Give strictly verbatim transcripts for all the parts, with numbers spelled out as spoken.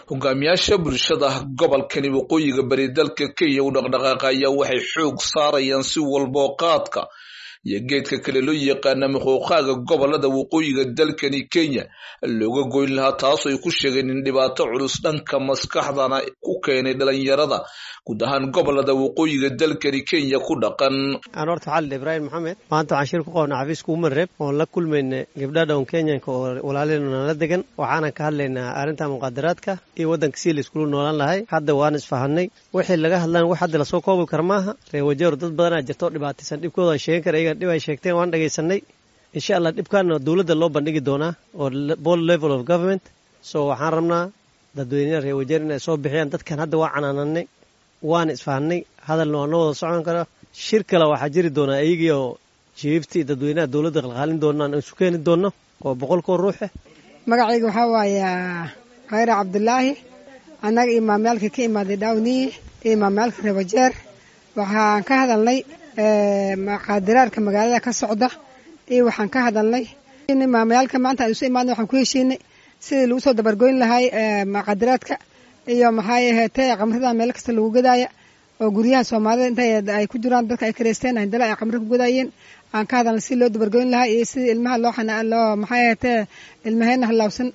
Hogaamiyaasha bulshada gobolkani waqooyiga bari dalka Kenya u dhaqdhaqaaqa ayaa waxay xoog saarayaan si walboo qaadka iyo geedka kale loo yaqaana muquuqaaga gobolada waqooyiga dalkani Kenya looga goyn lahaa, taasoo ay ku sheegeen in dhibaato culus dhanka maskaxdana ku keenay dhalinyarada guud ahaan gobolada waqooyiga dalkani Kenya ku dhaqan. Aan horta xalil Ibraahim Maxamed, maanta waxaan shir ku qabnaa xafiiska Women Rep oon la kulmayna gabdha dhown Kenyanka oo walaaleenna nala degan. Waxaanan ka hadlaynaa arrinta muqaadaraadka iyo waddanka si la iskula noolaan lahay. Hadda waan isfahanay, wixii laga hadlaan wax hadda lasoo koobi kara maaha. Reer Wajeer dad badanaa jirta oo dhibaataysan, dhibkooda aan sheegan kara, iyagan dhib ay sheegteen waan dhagaysanay. Insha Allah dhibkaana dowladda loo bandhigi doonaa oo board level of government. So waxaan rabnaa dadweynaha reer Wajeer inay soo bixiyaan dadkan. Hadda waa canaananay, waan isfahanay, hadalna waa noo wada socon karaa. Shir kale waxaa jiri doonaa iyagii oo jiiftii dadweynaha dowladda qalqaalin doonaan isu keeni doonno oo boqolkoo ruuxe. Magacayga waxaa waaye Khayra Cabdulaahi. Annaga iyo maamyaalka ka imaaday Dhawniyi iyo maamyaalka reer Wajeer waxaan ka hadalnay muqaadaraadka magaalada ka socda iyo waxaan ka hadalnay maamayaalka maanta aan isu imaadnay. Waxaan ku heshiinay sidii lagu soo dabargoyn lahay muqaadaraadka iyo maxay ahaatee qamrada meel kasta lagu gadaaya oo guryaha Soomaalida inta ay ku jiraan dadka ay kareysteen handala ay qamro ku gadaayeen. Aan ka hadalnay sidii loo dabargoyn lahaa iyo sidii ilmaha loo xanaa loo maxay ahaatee ilmaheena halaawsan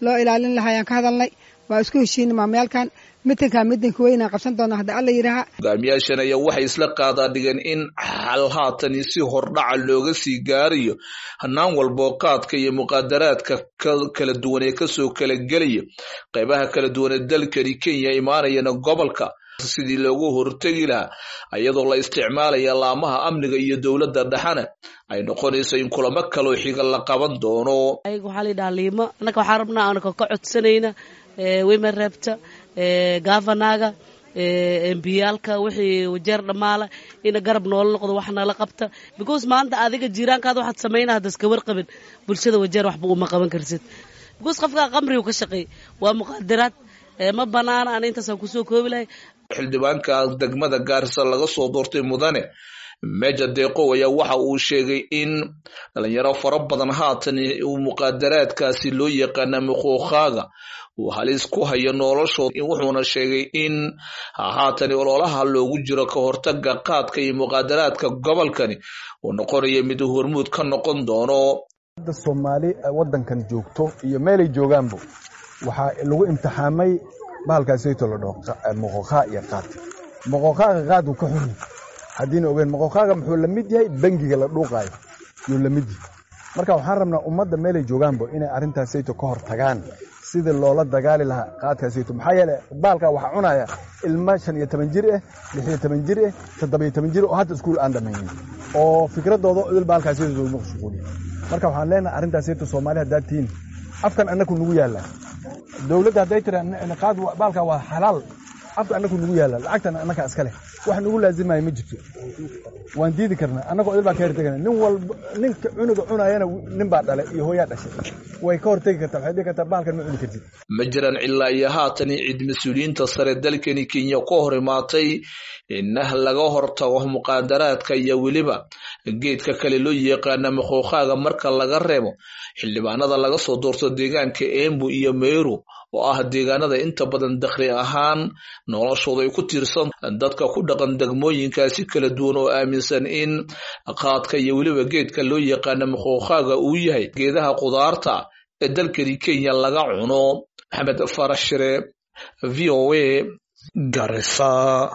loo ilaalin lahaa ayaan ka hadalnay. Waa isku heshiinay maamayaalkan, mitinka mitinka weyn aan qabsan doona hadda Alla yidhaaha. Hogaamiyaashan ayaa waxay isla qaadaa dhigeen in xal haatani si hordhaca looga sii gaarayo hanaan walboo qaadka iyo muqaadaraadka kala duwan ee kasoo kala gelaya qaybaha kala duwan ee dalkani Kenya imaanayana gobolka sidii loogu hortegi lahaa, iyadoo la isticmaalaya laamaha amniga iyo dowladda dhexana ay noqonayso in kulamo kaloo xiga la qaban doono. Waxaa la yidhaha liimo. Annaka waxaan rabnaa anaka ka codsanayna women repta, gavanaga, M P-yaalka, wixii Wajeer dhammaala ina garab noola noqdo, wax nala qabta, because maanta adiga jiiraankaada waxaad samaynaa hadda iska warqabin, bulshada Wajeer waxba uma qaban karsid, because qofkaa qamrigu ka shaqeey waa muqaadaraad, ma banaana. Ana intaasaan kusoo koobi lahay. Xildhibaanka degmada Gaarisa laga soo doortay, mudane Meja Deeqow, ayaa waxa uu sheegay in dhalinyaro fara badan haatan uu muqaadaraadkaasi loo yaqaana muquuqaaga uu halis ku hayo noloshooda. Wuxuuna sheegay in haatan ololaha loogu jiro ka hortaga qaadka iyo muqaadaraadka gobolkani uu noqonayo mid hormuud ka noqon doono. Hadda Soomaali waddankan joogto iyo meelay joogaanbo waxaa lagu imtixaamay bahalkaasayto la dhaho moqoqaa iyo qaad. Moqoqaaga qaad uu ka xun haddiina ogeyn, moqoqaaga muxuu la mid yahay bangiga la dhuuqaayo yuu la mid yahay. Marka waxaan rabnaa ummadda meelay joogaanbo inay arrintaasayto ka hor tagaan sidii loola dagaali lahaa qaadkaasayto. Maxaa yeele baalkaa waxaa cunaya ilma shan iyo toban jir ah, lix iyo toban jir ah, toddoba iyo toban jir oo hadda iskuul aan dhammaynin oo fikradooda idil baalkaasayto lagu mashquuliyo. Marka waxaan leenahay arrintaasayto Soomaali haddaad tihiin, afkan annaku nagu yaallaa. Dowladda hadday tira qaad baalkaa waa xalaal, afka annaku nagu yaalla, lacagtana annaka iska leh, wax nagu laazimaya ma jirto, waan diidi karnaa. Annagoo idil baan ka hortegana. Nin walba ninka cunuga cunayana nin baa dhalay iyo hooyaa dhashay, way ka hortegi kartaa, waxay dhihi kartaa baalkan ma cuni kartid. Ma jiraan ilaa iyo haatan cid mas-uuliyiinta sare dalkani Kenya ka hor imaatay inah laga hortago muqaadaraadka iyo weliba geedka kale loo yaqaana muquuqaaga, marka laga reebo xildhibaanada laga soo doorto deegaanka Embu iyo Meru oo ah deegaanada inta badan dakhli ahaan noloshooda ay ku tiirsan dadka ku dhaqan degmooyinkaasi kala duwan oo aaminsan in qaadka iyo weliba geedka loo yaqaana muquuqaaga uu yahay geedaha qudaarta ee dalkani Kenya laga cuno. Maxamed Farax Shire, V O A, Garissa.